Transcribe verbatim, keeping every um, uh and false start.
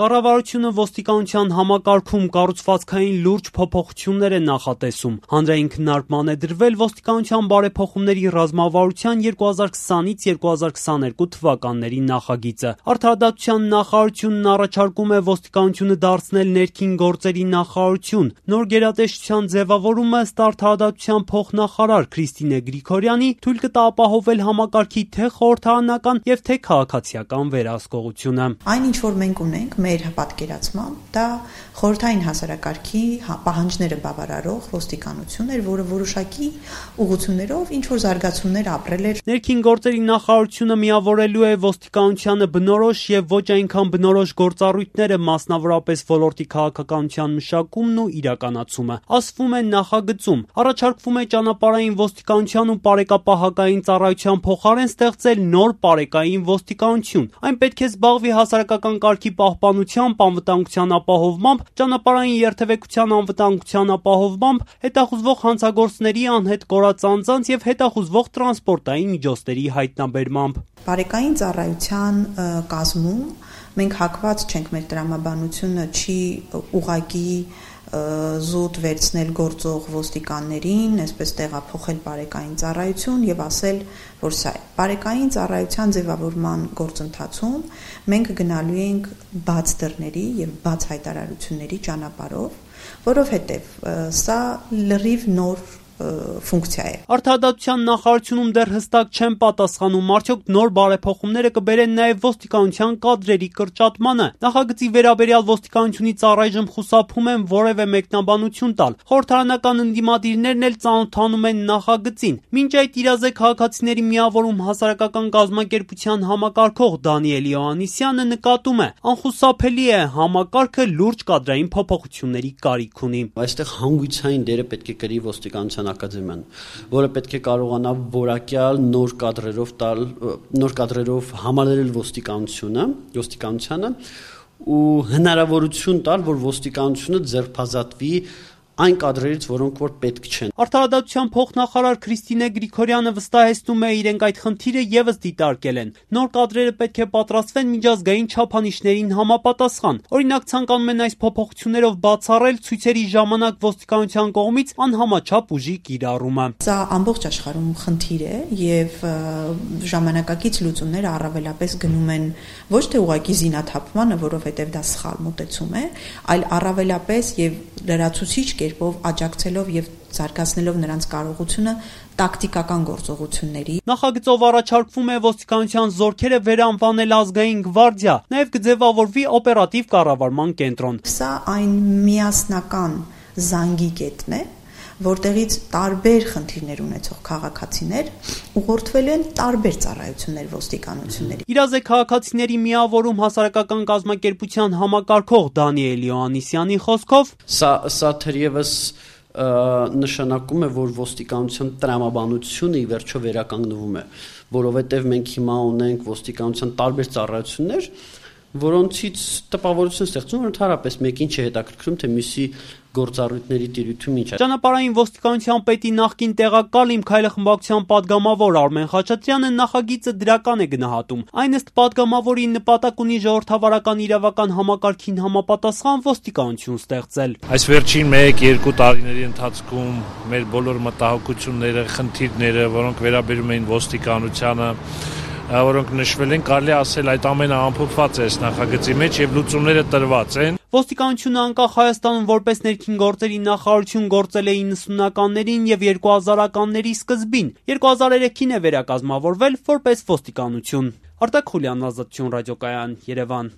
Կառավարությունը ոստիկանության համակարգում կառուցվածքային լուրջ փոփոխություններ է նախատեսում։ Հանրային քննարկման է դրվել ոստիկանության բարեփոխումների ռազմավարության երկու հազար քսանից երկու հազար քսաներկու թվականների նախագիծը։ Արդարադատության նախարարությունն առաջարկում է ոստիկանությունը դարձնել ներքին գործերի նախարարություն։ Նոր գերատեսչության ձևավորումը ըստ արդարադատության փոխնախարար Քրիստինե Գրիգորյանի թույլ կտա ապահովել համակարգի թե խորհրդարանական եւ թե քաղաքացիական վերահսկողությունը։ Այն ինչ որ մենք ունենք մեր պատկերացմամբ, դա խորհրդային հասարակարգի պահանջները բավարարող ոստիկանություն էր, որը որոշակի ուղղություններով ինչ որ զարգացումներ ապրել էր։ Ներքին գործերի նախարարությունը միավորելու է ոստիկանությանը բնորոշ եւ ոչ այնքան բնորոշ գործառույթները, մասնավորապես ոլորտի քաղաքականության մշակումն ու իրականացումը։ Ասվում է նախագծում առաջարկվում է ճանապարհային ոստիկանության ու պարեկապահական ծառայության փոխարեն ստեղծել նոր պարեկային ոստիկանություն։ Այն պետք է զբաղվի հասարակական կարգի պահպանությամբ, անվտանգության ապահովմամբ, ճանապարհային երթևեկության անվտանգության ապահովմամբ, հետախուզվող հանցագործների անհետ կորած անձանց եւ հետախուզվող տրանսպորտային միջոցների հայտնաբերմամբ։ Պարեկային ծառայության կազմում մենք հակված չենք, մեր տրամաբանությունը չի ուղղակի զուտ վերցնել գործող ոստիկաններին, այսպես տեղափոխել պարեկային ծառայություն եւ ասել, որ սա է։ Պարեկային ծառայության ձևավորման գործընթացում մենք գնալու ենք բաց դռների եւ բաց հայտարարությունների ճանապարհով, որովհետեւ սա լրիվ նոր ֆունկցիա է։ Արդարադատության նախարարությունում դեռ հստակ չեն պատասխանում, արդյոք նոր բարեփոխումները կբերեն նաև ոստիկանության կադրերի կրճատմանը։ Նախագծի վերաբերյալ ոստիկանությունից առայժմ խուսափում են որևէ մեկնաբանություն տալ։ Խորհրդարանական ընդդիմադիրներն էլ ծանոթանում են նախագծին։ Մինչ այդ իրազեկ քաղաքացիների միավորում հասարակական կազմակերպության համակարգող Դանիել Իոաննիսյանը նկատում է. անխուսափելի է, համակարգը լուրջ կադրային փոփոխությունների կարիք ունի։ Այստեղ հանգույցային դերը պետք է կրի ոստիկանության ակադեմիան, որը պետք է կարողանա որակյալ նոր կադրերով տալ, նոր կադրերով համալրել ոստիկանությունը, ոստիկանությանը ու հնարավորություն տալ, որ ոստիկանությունը ձերբազատվի այն կադրերից, որոնք որ պետք չեն։ Արդարադատության փոխնախարար Քրիստինե Գրիգորյանը վստահեցնում է, իրենք այդ խնդիրը եւս դիտարկել են։ Նոր կադրերը պետք է պատրաստվեն միջազգային չափանիշներին համապատասխան։ Օրինակ ցանկանում են այս փոփոխություններով բացառել ցույցերի ժամանակ ոստիկանության կողմից անհամաչափ ուժի կիրառումը։ Սա ամբողջ աշխարհում խնդիր է եւ ժամանակակից լուծումները առավելապես գնում են ոչ թե ուղղակի զինաթափմանը, որովհետեւ դա սխալ մոտեցում է, այլ առավելապես եւ լրացուցիչ կերպով աջակցելով եւ զարգացնելով նրանց կարողությունը տակտիկական գործողությունների։ Նախագծով առաջարկվում է ոստիկանության զորքերը վերանվանել ազգային գվարդիա, նաև կձևավորվի օպերատիվ կառավարման կենտրոն։ Սա այն միասնական զանգի կետն է, որտեղից տարբեր խնդիրներ ունեցող քաղաքացիներ ուղղորդվել են տարբեր ծառայություններ ոստիկանությունների։ Իրազեկ քաղաքացիների միավորում հասարակական կազմակերպության համակարգող Դանիել Իոաննիսյանի խոսքով սա սա թերևս նշանակում է, որ ոստիկանության տրամաբանությունը ի վերջո վերականգնվում է, որովհետև մենք հիմա ունենք ոստիկանության տարբեր ծառայություններ, որոնցից տպավորություն ստեղծում, որ ընդհանրապես մեկին չհետաքրքրում, թե մյուսի գործառույթների տիրույթում ինչ է։ Ճանապարհային ոստիկանության պետի նախկին տեղակալ Իմ Քայլը խմբակցության падգամավոր Արմեն Խաչատրյանը նախագիծը դրական է գնահատում։ Այն ըստ падգամավորի նպատակ ունի ժողովրդավարական իրավական համակարգին համապատասխան ոստիկանություն ստեղծել։ Այս վերջին մեկ-երկու տարիների ընթացքում մեր բոլոր մտահոգությունները, խնդիրները, որոնք վերաբերում էին ոստիկանությանը, որոնք նշվել են, կարելի ասել այդ ամենը ամփոփված է այս նախագծի մեջ եւ լուծումները տրված են։ Ոստիկանությունը անկախ Հայաստանում որպես ներքին գործերի նախարարություն գործել է իննսունականներին եւ երկու հազարականների սկզբին։ երկու հազար երեքին է վերակազմավորվել որպես ոստիկանություն։ Արտակ Խուլյան, Ազատություն ռադիոկայան, Երևան։